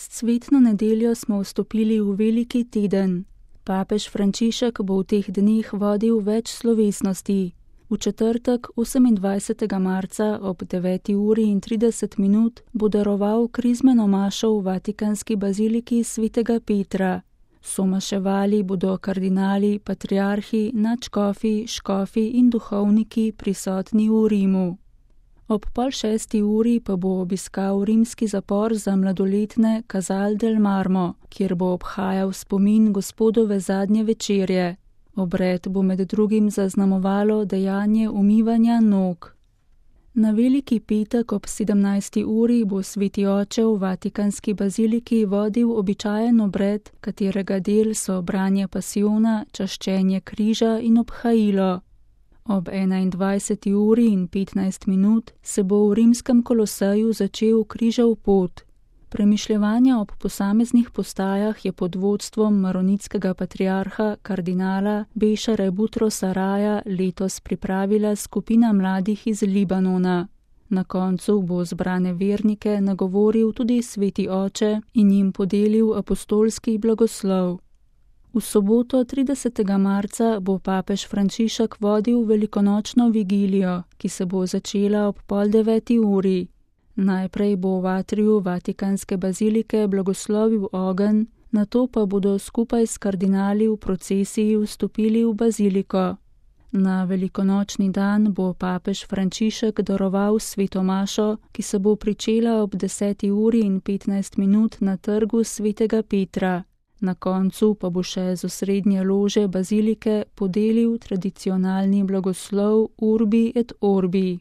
S cvetno nedeljo smo vstopili v veliki teden. Papež Frančišek bo v teh dneh vodil več slovesnosti. V četrtek, 28. marca ob 9:30 bo daroval krizmeno mašo v vatikanski baziliki svetega Petra. Somaševali bodo kardinali, patriarhi, nadškofi, škofi in duhovniki prisotni v Rimu. Ob 5:30 pa bo obiskal rimski zapor za mladoletne Casal del Marmo, kjer bo obhajal spomin Gospodove zadnje večerje. Obred bo med drugim zaznamovalo dejanje umivanja nog. Na veliki petek ob 17. bo sveti oče v vatikanski baziliki vodil običajen obred, katerega del so branje pasijona, čaščenje križa in obhajilo. Ob 21:15 se bo v rimskem koloseju začel križev pot. Premišljevanja ob posameznih postajah je pod vodstvom maronitskega patriarha kardinala Bešare Butrosa Raja letos pripravila skupina mladih iz Libanona. Na koncu bo zbrane vernike nagovoril tudi sveti oče in jim podelil apostolski blagoslov. V soboto 30. marca bo papež Frančišek vodil velikonočno vigilijo, ki se bo začela ob 8:30. Najprej bo v atriju vatikanske bazilike blagoslovil ogenj, nato pa bodo skupaj s kardinali v procesiji vstopili v baziliko. Na velikonočni dan bo papež Frančišek daroval sveto mašo, ki se bo pričela ob 10:15 na trgu svetega Petra. Na koncu pa bo še z osrednje lože bazilike podelil tradicionalni blagoslov Urbi et Orbi.